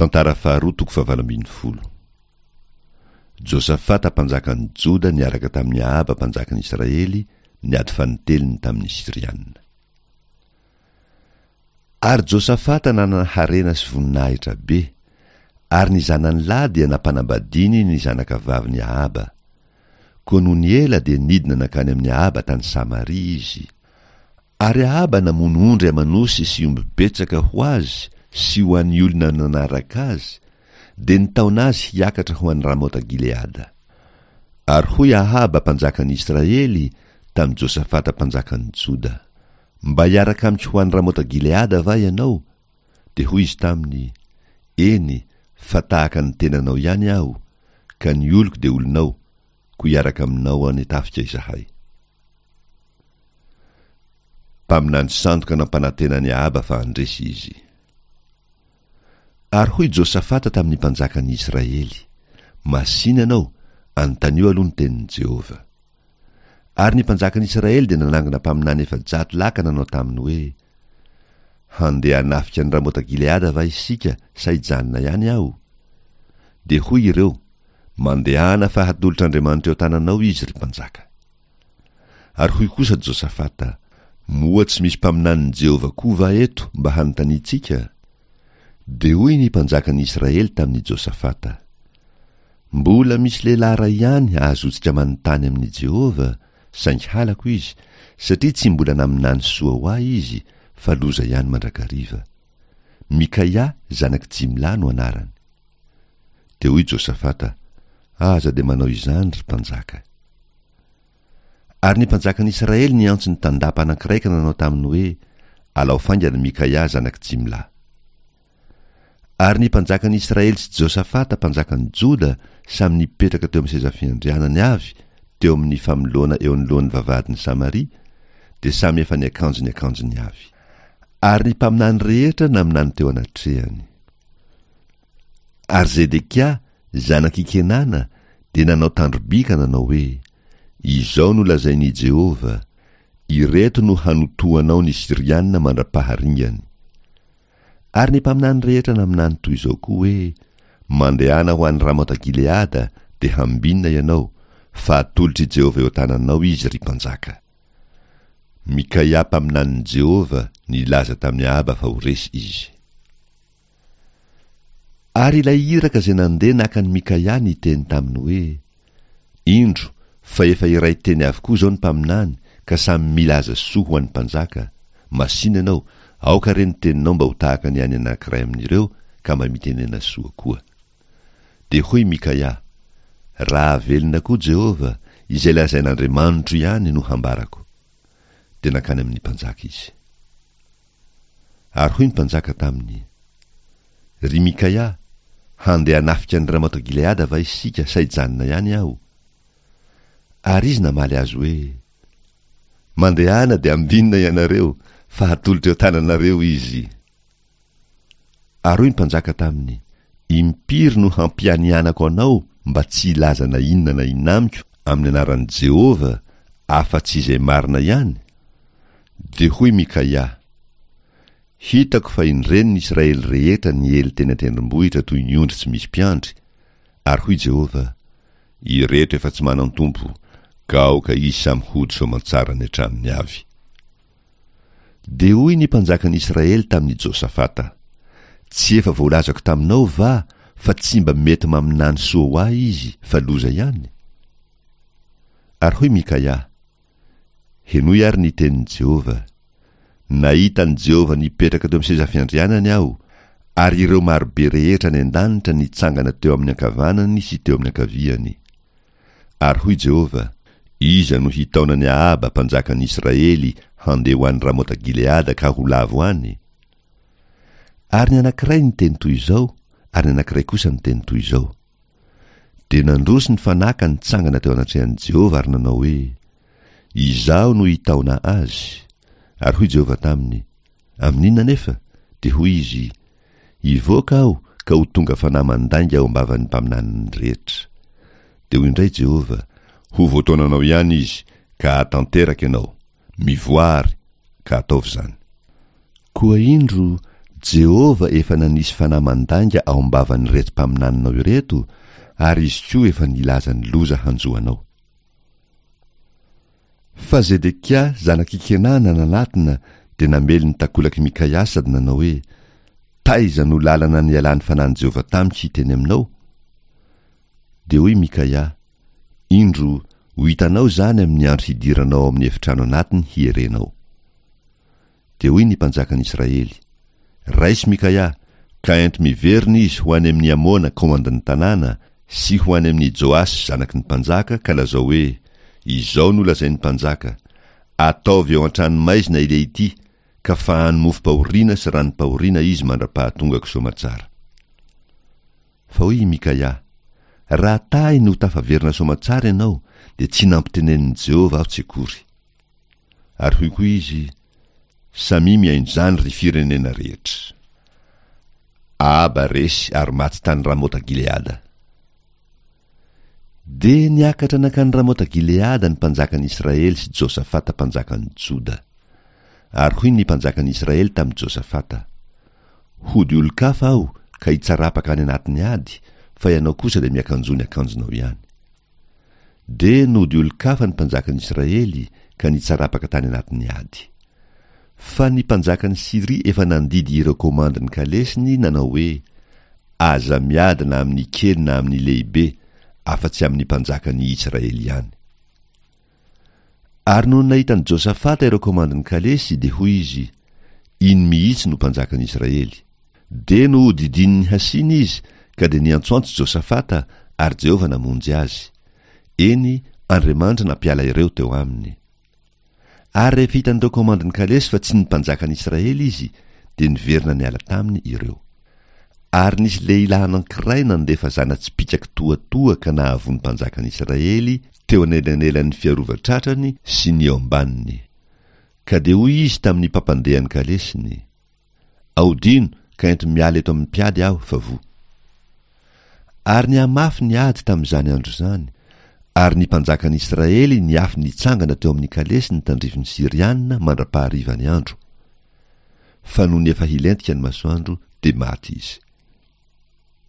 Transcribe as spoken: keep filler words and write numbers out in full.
Tantara faharoa toko fahavalo ambin'ny folo. Josafata mpanjakan'ny Joda niaraka tamin'i Ahaba mpanjakan'i Israely niady fanintelony tamin'ny Syriana. Ary Josafata nanana harena sy voninahitra be, ary ny zanany lahy dia nampanambadiany ny zanakavavin'i Ahaba. Koa nony ela dia nidina nankany amin'i Ahaba tany Samaria izy. Ary Ahaba namono ondry aman'osy sy omby betsaka ho azy sy ho an'ny olona nanaraka azy, dia nitaona azy hiakatra ho any Ramota-Gileada. Ary hoy Ahaba mpanjakan'i Israely tamin'i Josafata mpanjakan'i Joda, Mba hiaraka amiko ho any Ramota-Gileada va ianao? Dia hoy izy taminy, Eny, fa tahaka ny tenanao ihany aho, ka ny oloko dia olonao, koa hiaraka aminao any an-tafika izahay. Mpaminany sandoka nampanantena an'i Ahaba fa handresy izy. Ary hoy Josafata tamin'ny mpanjakan'ny Israely, Masìna ianao, anontanio aloha ny tenin'i Jehovah. Ary ny mpanjakan'ny Israely dia nanangona mpaminany efajato lahy ka nanao taminy hoe, Handeha hanafika an'i Ramota-Gileada va isika sa hijanona ihany aho? Dia hoy ireo, Mandehana fa hatolotr'Andriamanitra eo an-tananao izy, ry mpanjaka. Ary hoy kosa Josafata, Moa tsy misy mpaminanin'i Jehovah koa va eto mba hanontaniantsika? Dia hoy ny mpanjakan'i Israely tamin'i Josafata, Mbola misy lehilahy iray ihany ahazoantsika manontany amin'i Jehovah, saingy halako izy, satria tsy mbola naminany soa ho ahy izy, fa loza ihany mandrakariva. Mikaia, zanak'i Jimla no anarany. Dia hoy Josafata, Aza dia manao izany, ry mpanjaka. Ary ny mpanjakan'i Israely niantso ny tandapa anankiray ka nanao taminy hoe, Alao faingana Mikaia zanak'i Jimla. Ary ny mpanjakan'i Israely sy Josafata mpanjakan'i Joda samy nipetraka teo amin'ny seza fiandrianany avy teo amin'ny famoloana eo anoloan'ny vavahadin'i Samaria, dia samy efa niakanjo ny akanjony avy. Ary ny mpaminany rehetra naminany teo anatrehany. Ary Zedekia, zanak'i Kenana, dia nanao tandro-by ka nanao hoe, Izao no lazain'i Jehovah, Ireto no hanotoanao ny Syriana mandra-paharingany. Ary ny mpaminany rehetra naminany toy izao koa hoe, Mandehana ho any Ramota-Gileada, dia hambinina ianao, fa atolotr'i Jehovah eo an-tananao izy, ry mpanjaka. Mikaia mpaminanin'i Jehovah nilaza tamin'i Ahaba fa ho resy izy. Ary ilay iraka izay nandeha naka an'i Mikaia niteny taminy hoe, Indro, fa efa iray teny avokoa izao ny mpaminany, ka samy milaza soa ho an'ny mpanjaka. Masìna ianao, aoka re ny teninao mba ho tahaka ny an'ny anankiray amin'ireo, ka mba mitenena soa koa. Dia hoy Mikaia, Raha velona koa Jehovah, izay lazain'Andriamanitro ihany no hambarako. Dia nankany amin'ny mpanjaka izy. Ary hoy ny mpanjaka taminy, Ry Mikaia, handeha hanafika an'i Ramota-Gileada va isika sa hijanona ihany aho? Ary izy namaly azy hoe, Mandehana dia ambinina ianareo, fa hatolotra eo an-tananareo izy. Ary hoy ny mpanjaka taminy, Impiry no hampianianako anao mba tsy hilaza na inona na inona amiko amin'ny anaran'i Jehovah, afa-tsy izay marina ihany? Dia hoy Mikaia, Hitako fa indreny ny Israely rehetra niely teny an-tendrombohitra toy ny ondry tsy misy mpiandry, ary hoy Jehovah, Ireto efa tsy manan-tompo, ka aoka izy samy hody soamantsara any an-tranony avy. Dia hoy ny mpanjakan'i Israely tamin'i Josafata, Tsy efa voalazako taminao va fa tsy mba mety maminany soa ho ahy izy fa loza ihany? Ary hoy Mikaia, Henoy àry ny tenin'i Jehovah. Nahita an'i Jehovah nipetraka teo amin'ny seza fiandrianany aho, ary ireo marobe rehetra any an-danitra nitsangana teo amin'ny ankavanany sy teo amin'ny ankaviany. Ary hoy Jehovah, Iza no hitaona an'i Ahaba mpanjakan'ny Israely handeha ho any Ramota-Gileada ka ho lavo any? Ary ny anankiray niteny toy izao, ary ny anankiray kosa niteny toy izao. Dia nandroso ny fanahy ka nitsangana teo anatrehan'i Jehovah ary nanao hoe, Izaho no hitaona azy. Ary hoy Jehovah taminy, Amin'inona anefa? Dia hoy izy, Hivoaka aho ka ho tonga fanahy mandainga ao am-bavan'ny mpaminaniny rehetra. Dia hoy indray Jehovah, Ho voataonanao ihany izy, ka hahatanteraka ianao. Mivoaha àry, ka ataovy izany. Koa indro, Jehovah efa nanisy fanahy mandainga ao am-bavan'ireto mpaminaninao ireto, ary izy koa efa nilaza ny loza hanjo anao. Fa Zedekia zanak'i Kenana nanatona dia namely ny takolak'i Mikaia sady nanao hoe, Taiza no lalana nialan'ny fanahin'i Jehovah tamiko hiteny aminao? Dia hoy Mikaia, Indro, ho hitanao izany amin'ny andro hidiranao ao amin'ny efitrano anatiny hierenao. Dia hoy ny mpanjakan'i Israely, Raiso Mikaia, ka ento miverina izy ho any amin'i Amona komandin'ny tanàna, sy ho any amin'i Joasy zanaky ny mpanjaka, ka lazao hoe, Izao no lazain'ny mpanjaka, Ataovy ao an-tranomaizina ilehity, ka fahano mofom-pahoriana sy ranom-pahoriana izy mandra-pahatongako soamatsara. Fa hoy i Mikaia, Raha tahy no tafaverina soamatsara ianao, dia tsy nampitenenin'i Jehovah aho tsy akory. Ary hoy koa izy, Samia mihaino izany, ry firenena rehetra. Ahaba resy ary maty tany Ramota-Gileada. Dia niakatra nankany Ramota-Gileada ny mpanjakan'i Israely sy Josafata mpanjakan'i Joda. Ary hoy ny mpanjakan'i Israely tamin'i Josafata, Hody olon-kafa aho ka hitsarapaka any anatin'ny ady, fa ianao kosa dia miakanjoa ny akanjonao ihany. Dia nody olon-kafa ny mpanjakan'i Israely ka nitsarapaka tany anatin'ny ady. Fa ny mpanjakan'i Syria efa nandidy ireo komandin'ny kalesiny nanao hoe, Aza miady na amin'ny kely na amin'ny lehibe, afa-tsy amin'ny mpanjakan'i Israely ihany. Ary nony nahita an'i Josafata ireo komandin'ny kalesy, dia hoy izy, Iny mihitsy no mpanjakan'i Israely. Dia nohodidinin'ny hasina izy, ka dia niantsoantso Josafata, ary Jehovah namonjy azy. Eny, Andriamanitra nampiala ireo teo aminy. Ary rehefa hitan'ireo komandin'ny kalesy fa tsy ny mpanjakan'i Israely izy, dia niverina niala taminy ireo. Ary nisy lehilahy anankiray nandefa zana-tsipìka kitoatoa ka nahavoa ny mpanjakan'i Israely teo anelanelan'ny fiarovan-tratrany sy ny eo ambaniny. Ka dia hoy izy tamin'ny mpampandeha ny kalesiny, Aodino ka ento miala eto amin'ny mpiady aho fa voa. Ary nihamafy ny ady tamin'izany andro izany, ary ny mpanjakan'i Israely niafy nitsangana teo amin'ny kalesiny tandrifin'ny Syriana mandra-paharivan'ny andro. Fa nony efa hilentika ny masoandro, dia maty izy.